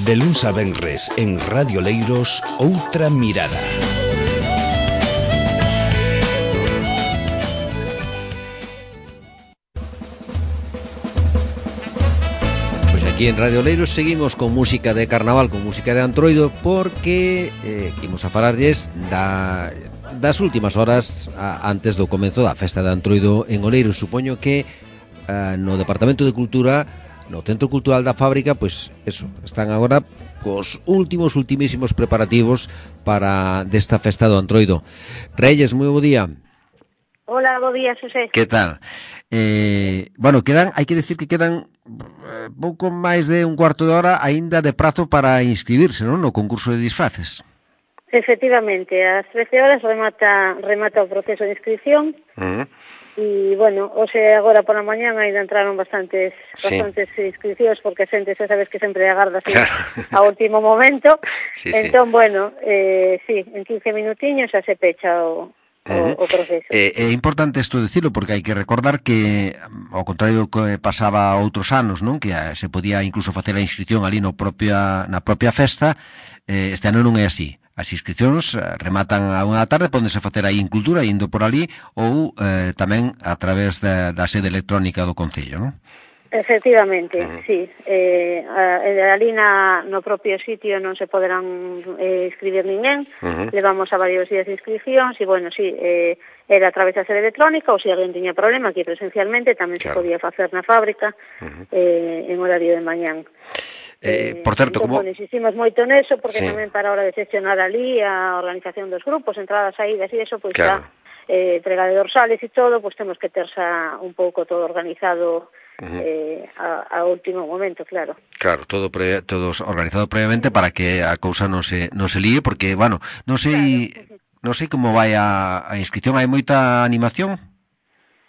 De luns a venres en Radio Leiros, Outra Mirada. Pois aquí en Radio Leiros seguimos con música de carnaval, con música de Antroido, porque imos a falarlles das últimas horas antes do comenzo da festa de Antroido en Oleiros. Supoño que no Departamento de Cultura, no Centro Cultural da Fábrica, pois eso, están agora cos ultimísimos preparativos para desta festa do Antroido. Reyes, moi bo día. Hola, bo día, Xosé. Que tal? Bueno, hai que decir que quedan pouco máis de un cuarto de hora aínda de prazo para inscribirse, non? No concurso de disfraces. Efectivamente, ás 13 horas remata o proceso de inscripción. E, bueno, hoxe agora por a mañán ainda entraron bastantes inscripcións, porque a xente, xa sabes que sempre agarda así a último momento. Entón, bueno, sí, en 15 minutiños xa se pecha o proceso. É importante isto dicilo, porque hai que recordar que, ao contrario que pasaba outros anos, non, que se podía incluso facer a inscripción ali na propia festa, este ano non é así. As inscripcións rematan a 1 da tarde, pódense facer aí en Cultura, indo por ali, ou tamén a través da sede electrónica do Concello, non? Efectivamente, sí. Ali no propio sitio non se poderán inscribir ninguén. Levamos a varios días de inscripcións e, bueno, sí, era a través da sede electrónica, ou se alguén tiña problema aquí presencialmente, tamén se podía facer na fábrica en horario de mañán. Por certo, como... Bueno, insistimos moito neso, porque tamén para a hora de xestionar ali a organización dos grupos, entradas, saídas e eso, pois xa entrega de dorsales e todo, pois temos que ter xa un pouco todo organizado a último momento, claro. Claro, todo organizado previamente para que a cousa non se líe, porque, bueno, non sei como vai a inscripción, hai moita animación?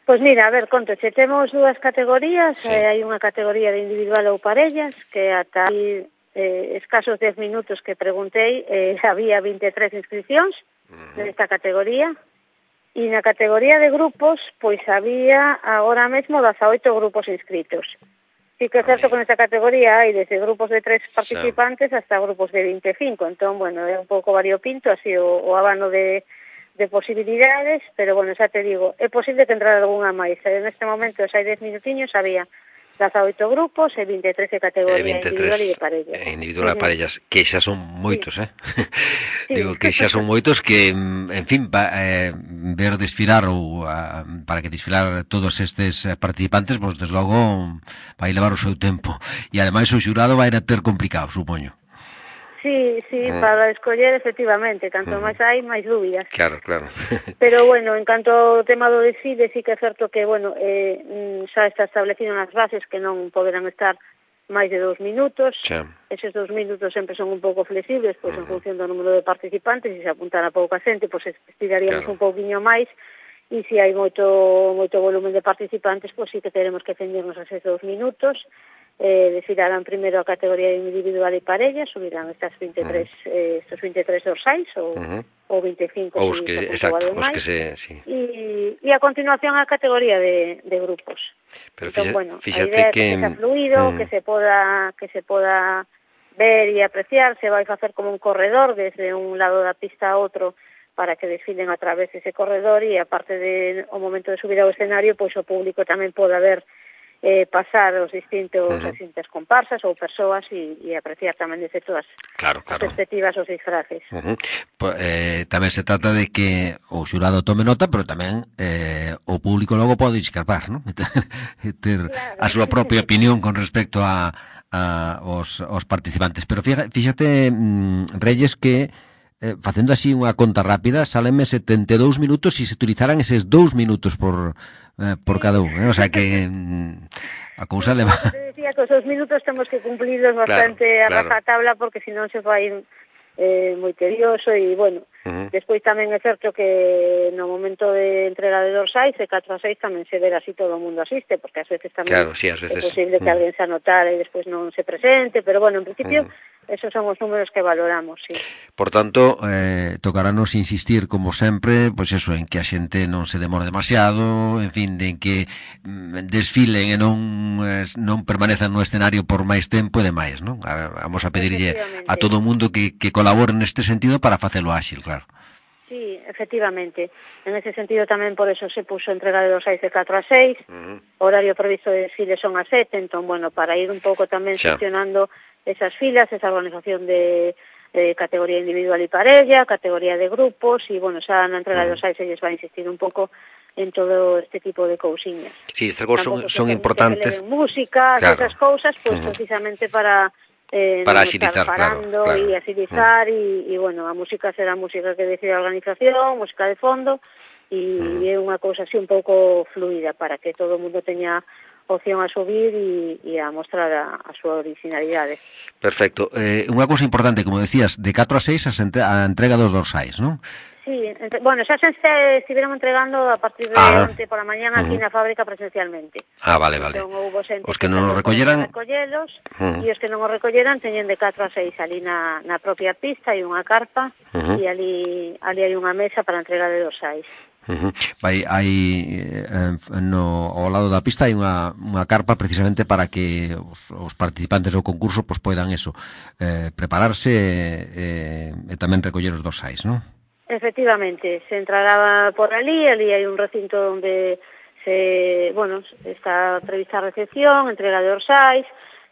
Pois mira, a ver, contoche, temos dúas categorías, hai unha categoría de individual ou parellas, que ata aí escasos 10 minutos que preguntei, había 23 inscripcións nesta categoría, e na categoría de grupos, pois había agora mesmo 18 grupos inscritos. Sí que é certo que nesta categoría hai desde grupos de 3 participantes hasta grupos de 25, entón, bueno, é un pouco variopinto, así o abano de posibilidades, pero, bueno, xa te digo, é posible que entrara algunha máis. Neste momento, xa hai 10 minutiños, había 18 grupos e 23 de categoría individual e de parellas. Individual e parellas, que xa son moitos, Digo que xa son moitos que, en fin, ver desfilar ou para que desfilar todos estes participantes, pois, desde logo, vai levar o seu tempo. E, ademais, o xurado vai a ter complicado, supoño. Sí, para escoller, efectivamente, canto máis hai, máis dúbidas. Claro. Pero, bueno, en canto ao tema do desfile, sí que é certo que, bueno, xa está establecido nas bases que non poderán estar máis de 2 minutos. Eses 2 minutos sempre son un pouco flexibles, pois en función do número de participantes, e se apuntara pouca xente, pois estiraríamos un pouquiño máis, e se hai moito volumen de participantes, pois sí que teremos que ceñirnos a eses 2 minutos. Desfilarán primeiro a categoría individual e parella, subirán estas 23 dorsais ou 25 ou os que, exacto, os que sí. E a continuación a categoría de grupos. Pero entón, bueno, fíxate a idea que sea fluido, que se poda ver e apreciar, se vai facer como un corredor desde un lado da pista a outro para que desfilen a través dese corredor, e aparte de o momento de subir ao escenario, pois o público tamén poda ver pasar as distintas comparsas ou persoas e apreciar tamén desde todas as perspectivas os disfraces. Tamén se trata de que o xurado tome nota, pero tamén o público logo pode escarpar, non? Ter a súa propia opinión con respecto aos participantes. Pero fíxate, Reyes, que facendo así unha conta rápida, salenme 72 minutos e se utilizaran eses 2 minutos por cada un, o sea que a cousa leva... Te decía que os 2 minutos temos que cumplirlos bastante a rajatabla, porque senón se fai moi tedioso e, bueno, despois tamén é certo que no momento de entrega de dorsais, de 4 a 6 tamén se ver así todo o mundo asiste, porque ás veces tamén é posible que alguén se anotara e despois non se presente, pero, bueno, en principio esos son os números que valoramos, sí. Por tanto, tocarános insistir, como sempre, pois eso, en que a xente non se demore demasiado, en fin, de que desfilen e non permanezan no escenario por máis tempo e demais, non? Vamos a pedirlle a todo o mundo que colabore neste sentido para facelo áxil, claro. Sí, efectivamente. En ese sentido tamén por eso se puso entrega de dorsais de 4 a 6, horario previsto de desfile son a 7, entón, bueno, para ir un pouco tamén gestionando esas filas, esa organización de categoría individual e parella, categoría de grupos, e, bueno, xa na entrega de dorsais se lles va a insistir un pouco en todo este tipo de cousiñas. Sí, estas cousas son importantes. Que música, claro, esas cousas, pues precisamente para agilizar, parando, claro. E agilizar, e, bueno, a música será a música que decide a organización, música de fondo, e é unha cousa así un pouco fluida para que todo o mundo teña opción a subir e a mostrar a súa originalidade. Perfecto. Unha cousa importante, como decías, de 4 a 6 a entrega dos dorsais, non? Sí, bueno, xa se estiveron entregando a partir de onte por a mañana aquí na fábrica presencialmente. Vale. Entón, houbo xente os que non os recolleran, e os que non os recolleran teñen de 4 a 6 ali na propia pista, hai unha carpa, e ali hai unha mesa para a entrega de dorsais. Ao lado da pista hai unha carpa precisamente para que os participantes do concurso pois poidan prepararse e tamén recoller os dorsais, non? Efectivamente, se entrará por ali hai un recinto onde está prevista a recepción, entrega de dorsais,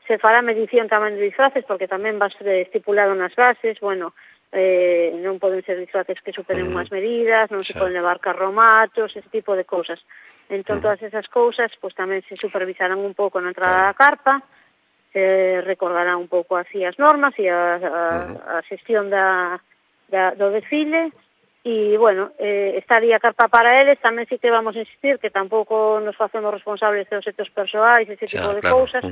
se fará medición tamén de disfraces, porque tamén va estipulado nas bases, bueno, non poden ser disfraces que superen unhas medidas, non se poden levar carromatos, ese tipo de cousas. Entón, todas esas cousas, pues tamén se supervisarán un pouco na entrada da carpa, se recordarán un pouco así as normas e a xestión do desfile. E, bueno, estaría a carpa para eles, tamén sí que vamos a insistir que tampouco nos facemos responsables dos hechos persoais, ese tipo de cousas,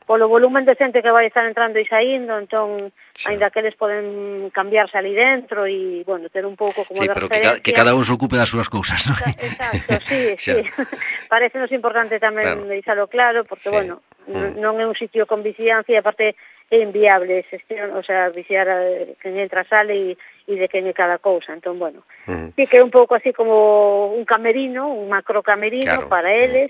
polo volumen de xente que vai estar entrando e saindo, entón, ainda que eles poden cambiarse ali dentro e, bueno, ter un pouco como de referencia. Que cada un se ocupe das súas cousas, non? Exacto, sí. Parecenos importante tamén deixalo claro, porque, bueno, non é un sitio con vixiancia e, aparte, é inviable xestión, o sea, vixiar quen entra, sale e de quen é cada cousa. Entón, bueno, sí que é un pouco así como un camerino, un macro camerino para eles,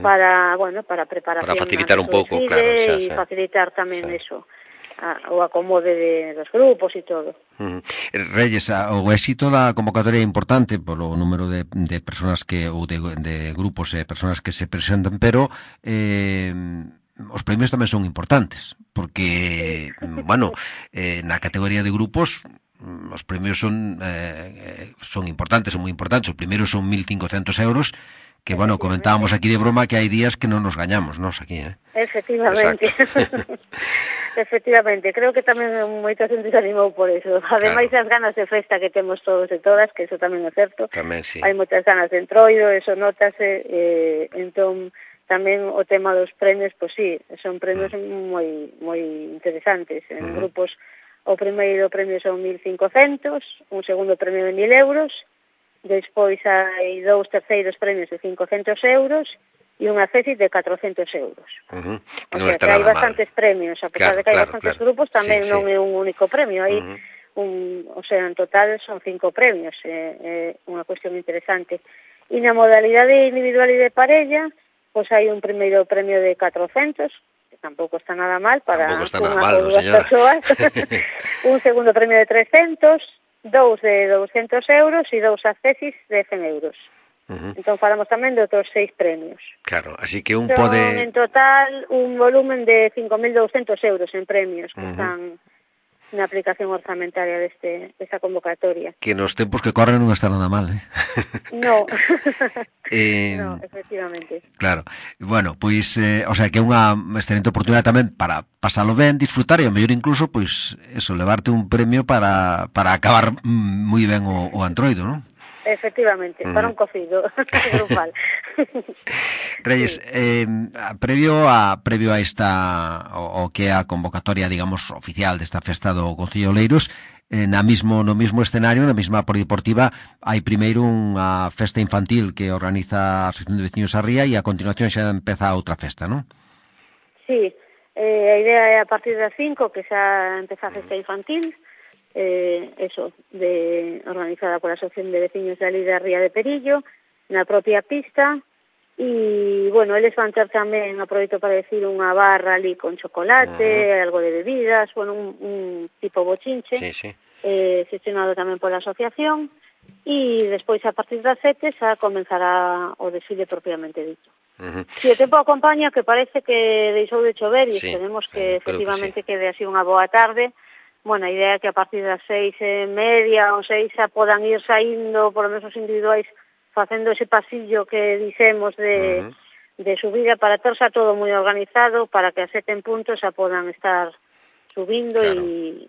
para preparación, para facilitar un pouco, claro, e facilitar tamén eso, o acomode dos grupos e todo. Reyes, o éxito da convocatoria é importante polo número de personas ou de grupos e personas que se presentan, pero os premios tamén son importantes, porque, bueno, na categoría de grupos os premios son importantes, son moi importantes. O primeiro son 1.500 euros, que, bueno, comentábamos aquí de broma que hai días que non nos gañamos, nos aquí, Efectivamente. Efectivamente, creo que tamén moita xente se animou por eso. Ademais, as ganas de festa que temos todos e todas, que eso tamén é certo. Tamén, sí. Hai moitas ganas de entroido, eso notase, entón, tamén o tema dos premios, pois sí, son premios moi interesantes. En grupos, o primeiro premio son 1.500, un segundo premio de 1.000 euros, despois hai 2 terceiros premios de 500 euros e unha cesi de 400 euros. O sea, que hai bastantes premios, a pesar de que hai bastantes grupos, tamén non é un único premio, hai o sea, en total son 5 premios, é unha cuestión interesante. E na modalidade individual e de parella, pois hai un primeiro premio de 400, que tampouco está nada mal para unha ou dúas persoas, un segundo premio de 300, 2 de 200 euros e 2 accesis de 100 euros. Entón falamos tamén de outros 6 premios. Claro, así que un son, pode... en total, un volumen de 5.200 euros en premios que están na aplicación orzamentaria desta convocatoria. Que nos tempos que corren non está nada mal, No, no, efectivamente. Claro, bueno, pois, o sea, que é unha excelente oportunidade tamén para pasalo ben, disfrutar e, ao mellor incluso, pois, eso, levarte un premio para acabar moi ben o antroido, non? Efectivamente, para un cocido grupal. Reyes, previo a esta o que é a convocatoria, digamos, oficial desta festa do Concello de Oleiros, no mismo escenario, na mesma polideportiva, hai primeiro unha festa infantil que organiza a Asociación de Veciños a Ría e a continuación xa empeza outra festa, non? Sí, A idea é a partir das 5 que xa empeza a festa infantil, organizada pola Asociación de Veciños de ali da Ría de Perillo, na propia pista, e, bueno, eles van ter tamén, aproveito para decir, unha barra ali con chocolate, algo de bebidas, bueno, un tipo bochinche, gestionado tamén pola asociación, e despois a partir das 7 xa comenzará o desfile propiamente dito. Si o tempo acompaña, que parece que deixou de chover e esperemos que efectivamente quede así unha boa tarde. Bueno, a idea é que a partir das 6:30 ou 6 xa podan ir saindo, por lo menos os individuais, facendo ese pasillo que dixemos de subida para ter xa todo moi organizado para que a 7 en punto xa podan estar subindo e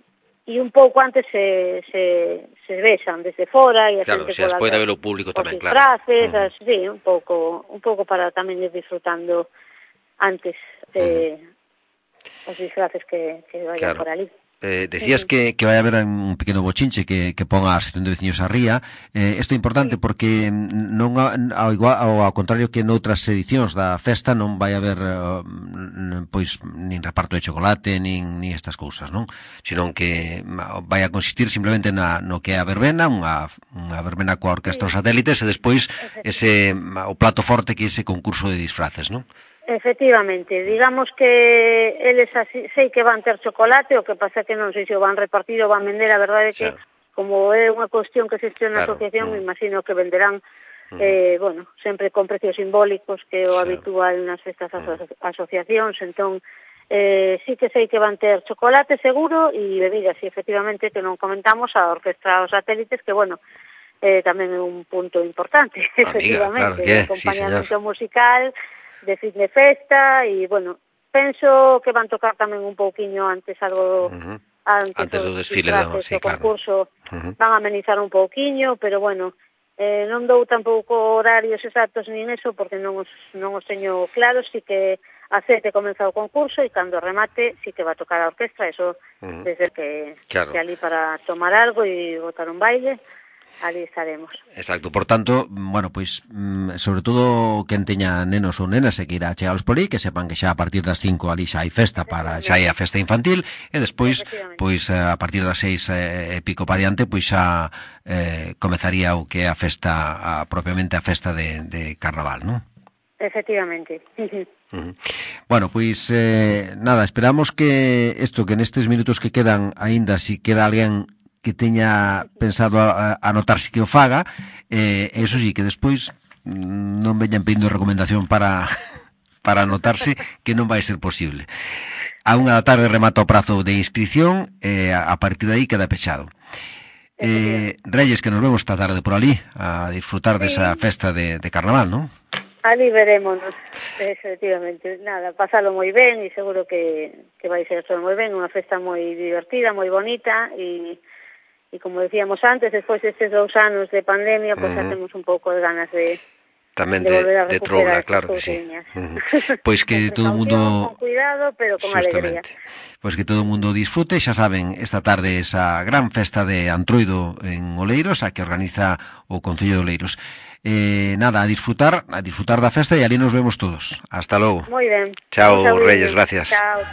un pouco antes se vexan desde fora e a xente poda despois de ver o público tamén, disfraces, sí, un pouco para tamén ir disfrutando antes os disfraces que vayan por ali. Decías que vai haber un pequeno bochinche que ponga a Asociación de Veciños a Ría. Isto é importante porque non ao contrario que noutras edicións da festa non vai haber pois nin reparto de chocolate nin estas cousas, non? Senón que vai a consistir simplemente no que é a verbena, unha verbena coa orquestra dos satélites e despois o plato forte que é ese concurso de disfraces, non? Efectivamente, digamos que eles sei que van ter chocolate, o que pasa que non sei se o van repartir ou van vender, a verdade é que como é unha cuestión que se gestiona na asociación, me imagino que venderán, bueno, sempre con precios simbólicos, que é o habitual nas festas asociacións, entón sí que sei que van ter chocolate seguro e bebidas, e efectivamente que non comentamos a orquestra os satélites, que bueno, tamén é un punto importante, efectivamente, o acompañamento musical de fin de festa e, bueno, penso que van tocar tamén un pouquiño antes algo antes do desfile do concurso, van a amenizar un pouquiño, pero, bueno, non dou tampouco horarios exactos nin eso porque non os teño claros, si que a 7 comeza o concurso e cando remate si que va a tocar a orquestra, eso desde que ali para tomar algo e botar un baile, ali estaremos. Exacto, por tanto, bueno, pois, sobre todo quen teña nenos ou nenas e que irá chegalos por aí, que sepan que xa a partir das 5 ali xa hai festa xa hai a festa infantil, e despois, pois, a partir das 6 e pico para diante, pois xa comezaría o que é a festa, propiamente a festa de Carnaval, non? Efectivamente. Bueno, pois, nada, esperamos que que nestes minutos que quedan, aínda si queda alguén que teña pensado anotarse que o faga, eso sí, que despois non veñan pedindo recomendación para anotarse, que non vai ser posible. A 1 da tarde remata o prazo de inscripción, a partir de aí queda pechado. Reyes, que nos vemos esta tarde por ali a disfrutar desa festa de Carnaval, non? Ali verémonos, efectivamente. Nada, pasalo moi ben e seguro que vai ser todo moi ben, unha festa moi divertida, moi bonita e como decíamos antes, despois destes 2 anos de pandemia, pois xa temos un pouco de ganas de tamén de troula, claro que sí. Pois que todo o mundo con cuidado, pero con alegría. Pois que todo o mundo disfrute, xa saben, esta tarde esa gran festa de Antroido en Oleiros, a que organiza o Concello de Oleiros. Nada, a disfrutar da festa e ali nos vemos todos. Hasta logo. Moi ben. Chao, Reyes, gracias. Chao.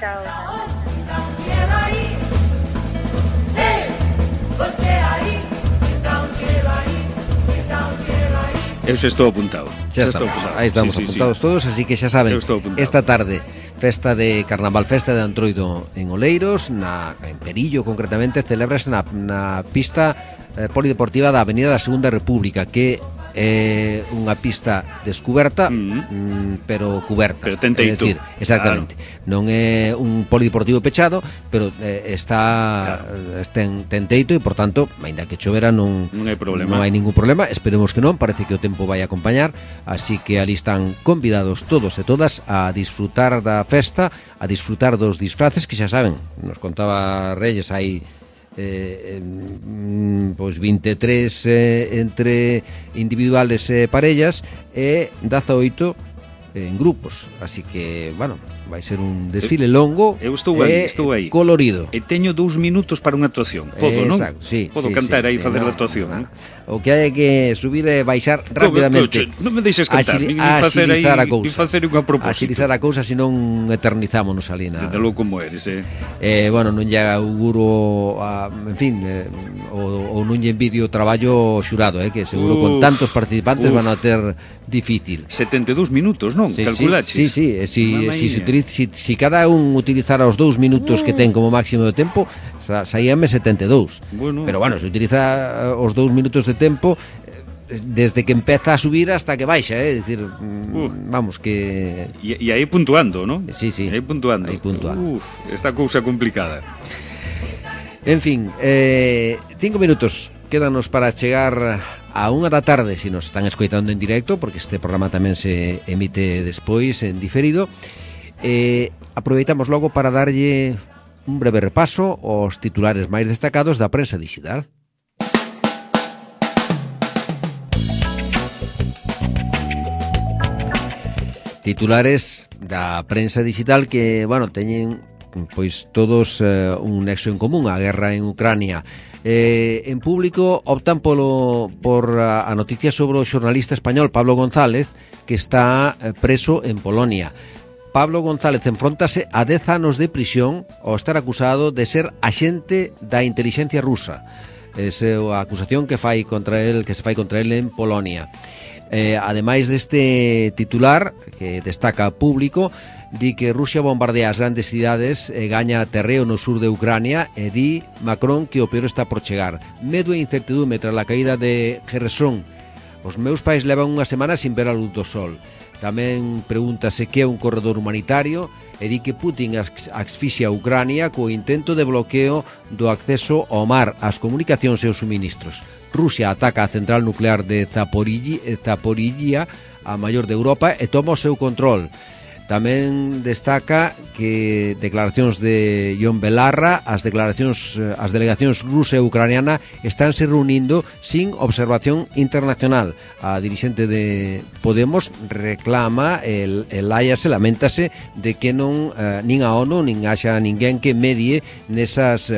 Eu xa estou apuntado. Xa estamos, aí estamos apuntados todos, así que xa saben, esta tarde, festa de Carnaval, festa de Antroido en Oleiros, en Perillo concretamente, celebrase na pista polideportiva da Avenida da Segunda República, que é unha pista descuberta, pero cuberta. Pero ten teito. É dicir, exactamente. Claro. Non é un polideportivo pechado, pero ten teito e, por tanto, aínda que chovera non hai problema. Non hai ningún problema. Esperemos que non, parece que o tempo vai acompañar, así que ali están convidados todos e todas a disfrutar da festa, a disfrutar dos disfraces que xa saben, nos contaba Reyes aí pois 23 entre individuales e parellas e 18 en grupos, así que, bueno, vai ser un desfile longo estou aí. Colorido. E teño 2 minutos para unha actuación. Podo, non? Exacto, sí. Podo cantar aí e facer a actuación, non? O que hai é que subir e baixar rapidamente. Non me deixes cantar, nin facer aí, nin facer unha propósito. Axilizar a cousa, senón eternizámonos ali na. Desde logo como eres, bueno, non lle auguro, en fin, ou non lle envidio o traballo xurado, que seguro con tantos participantes van a ter difícil. 72 minutos, non? Calculaches? Sí. Si cada un utilizara os 2 minutos que ten como máximo de tempo, saíame 72. Pero bueno, se utiliza os 2 minutos de tempo desde que empeza a subir hasta que baixa, é dicir, vamos que... E aí puntuando, non? Sí. Aí puntuando. Esta cousa complicada. En fin, 5 minutos quédanos para chegar a 1 da tarde, se nos están escoitando en directo, porque este programa tamén se emite despois en diferido. Aproveitamos logo para darlle un breve repaso aos titulares máis destacados da prensa digital. Titulares da prensa digital que, bueno, teñen pois todos un nexo en común, a guerra en Ucrania. En público optan por a noticia sobre o xornalista español Pablo González, que está preso en Polonia. Pablo González enfróntase a 10 anos de prisión ao estar acusado de ser axente da intelixencia rusa. Esa é a acusación que se fai contra el en Polonia. Ademais deste titular que destaca público, di que Rusia bombardea as grandes cidades e gaña terreo no sur de Ucrania, e di Macron que o peor está por chegar. Medo e incertidume tras a caída de Kherson. Os meus pais levan unha semana sin ver a luz do sol. Tamén pregúntase que é un corredor humanitario e di que Putin asfixia a Ucrania co intento de bloqueo do acceso ao mar, ás comunicacións e aos suministros. Rusia ataca a central nuclear de Zaporizhia, a maior de Europa, e toma o seu control. Tamén destaca que declaracións de Jon Belarra, as delegacións rusa e ucraniana estánse reunindo sin observación internacional. A dirixente de Podemos reclama, lamentase de que non nin a ONU nin haxa ninguén que medie nesas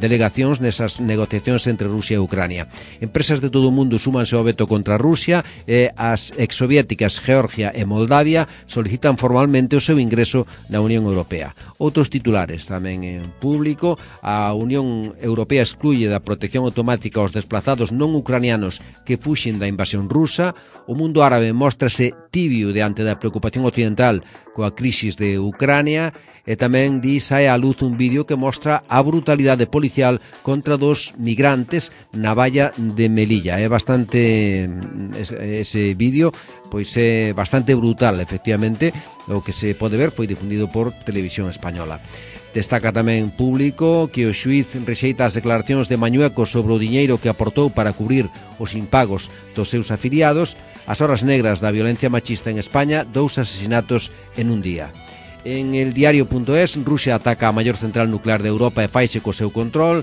delegacións, nesas negociacións entre Rusia e Ucrania. Empresas de todo o mundo súmanse ao veto contra Rusia e as exsoviéticas Georgia e Moldavia solicitan formalmente o seu ingreso na Unión Europea. Outros titulares tamén en público. A Unión Europea excluye da protección automática aos desplazados non ucranianos que fuxen da invasión rusa. O mundo árabe móstrase tibio diante da preocupación occidental coa crisis de Ucrania, e tamén sae á luz un vídeo que mostra a brutalidade policial contra dos migrantes na valla de Melilla. É bastante, ese vídeo pois é bastante brutal, efectivamente. O que se pode ver foi difundido por Televisión Española. Destaca tamén público que o xuíz rexeita as declaracións de Mañueco sobre o diñeiro que aportou para cubrir os impagos dos seus afiliados. As horas negras da violencia machista en España, 2 asesinatos en un día. En el diario.es, Rusia ataca a maior central nuclear de Europa e faixe co seu control.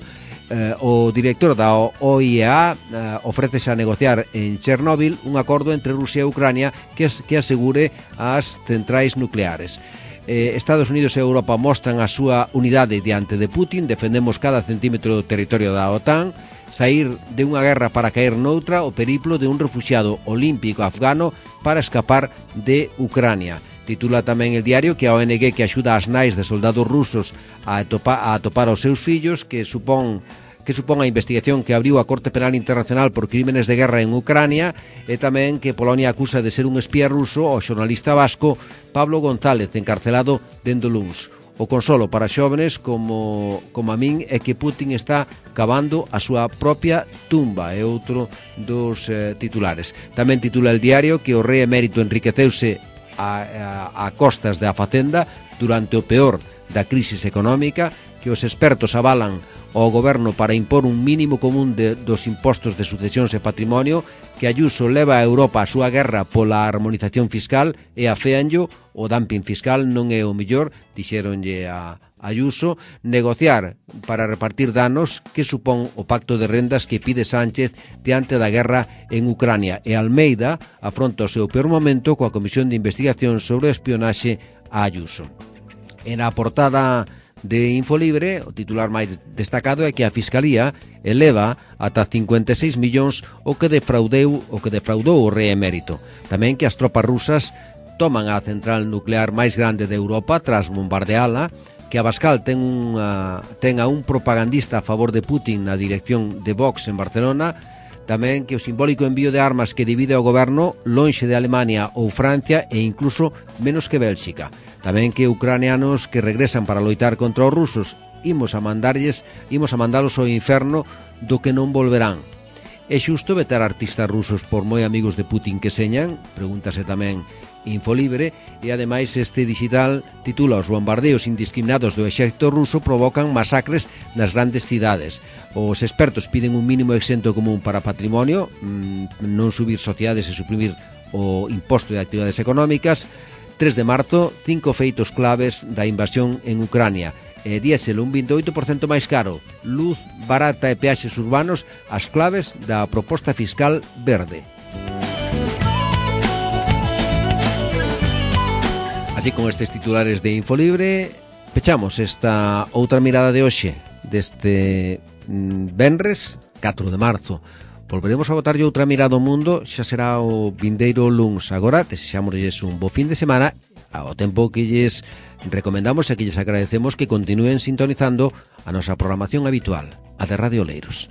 O director da OIEA ofrécese a negociar en Chernóbil un acordo entre Rusia e Ucrania que asegure as centrais nucleares. Estados Unidos e Europa mostran a súa unidade diante de Putin. Defendemos cada centímetro do territorio da OTAN. Saír de unha guerra para caer noutra, o periplo de un refuxiado olímpico afgano para escapar de Ucrania. Titula tamén el diario que a ONG que axuda as nais de soldados rusos a atopar os seus fillos, que supón a investigación que abriu a Corte Penal Internacional por crímenes de guerra en Ucrania, e tamén que Polonia acusa de ser un espía ruso ao xornalista vasco Pablo González, encarcelado dende o luns. O consolo para xóvenes como a min é que Putin está cavando a súa propia tumba, é outro dos titulares. Tamén titula el diario que o rei emérito enriqueceuse a costas da Facenda durante o peor da crisis económica, que os expertos avalan ao goberno para impor un mínimo común dos impostos de sucesións e patrimonio, que Ayuso leva a Europa a súa guerra pola harmonización fiscal e aféanllo, o dumping fiscal non é o mellor, dixéronlle a Ayuso, negociar para repartir danos que supón o pacto de rendas que pide Sánchez diante da guerra en Ucrania, e Almeida afronta o seu peor momento coa Comisión de Investigación sobre o espionaxe a Ayuso. En a portada de Infolibre, o titular máis destacado é que a Fiscalía eleva ata 56 millóns o que defraudou o rei emérito. Tamén que as tropas rusas toman a central nuclear máis grande de Europa tras bombardeala, que Abascal ten a un propagandista a favor de Putin na dirección de Vox en Barcelona, tamén que o simbólico envío de armas que divide o goberno lonxe de Alemania ou Francia e incluso menos que Bélxica. Tamén que ucranianos que regresan para loitar contra os rusos, imos a mandalos ao inferno do que non volverán. É xusto vetar artistas rusos por moi amigos de Putin que señan? Pregúntase tamén Infolibre, e ademais este digital titula: os bombardeos indiscriminados do exército ruso provocan masacres nas grandes cidades. Os expertos piden un mínimo exento común para patrimonio, non subir sociedades e suprimir o imposto de actividades económicas. 3 de marzo, 5 feitos claves da invasión en Ucrania. Diésel un 28% máis caro, luz barata e peaxes urbanos, as claves da proposta fiscal verde. Así, con estes titulares de Infolibre, pechamos esta outra mirada de hoxe, deste venres 4 de marzo. Volveremos a botarlle outra mirada ao mundo, xa será o vindeiro luns. Agora, desexámosles un bo fin de semana, ao tempo que lles recomendamos e que lles agradecemos que continúen sintonizando a nosa programación habitual, a de Radio Oleiros.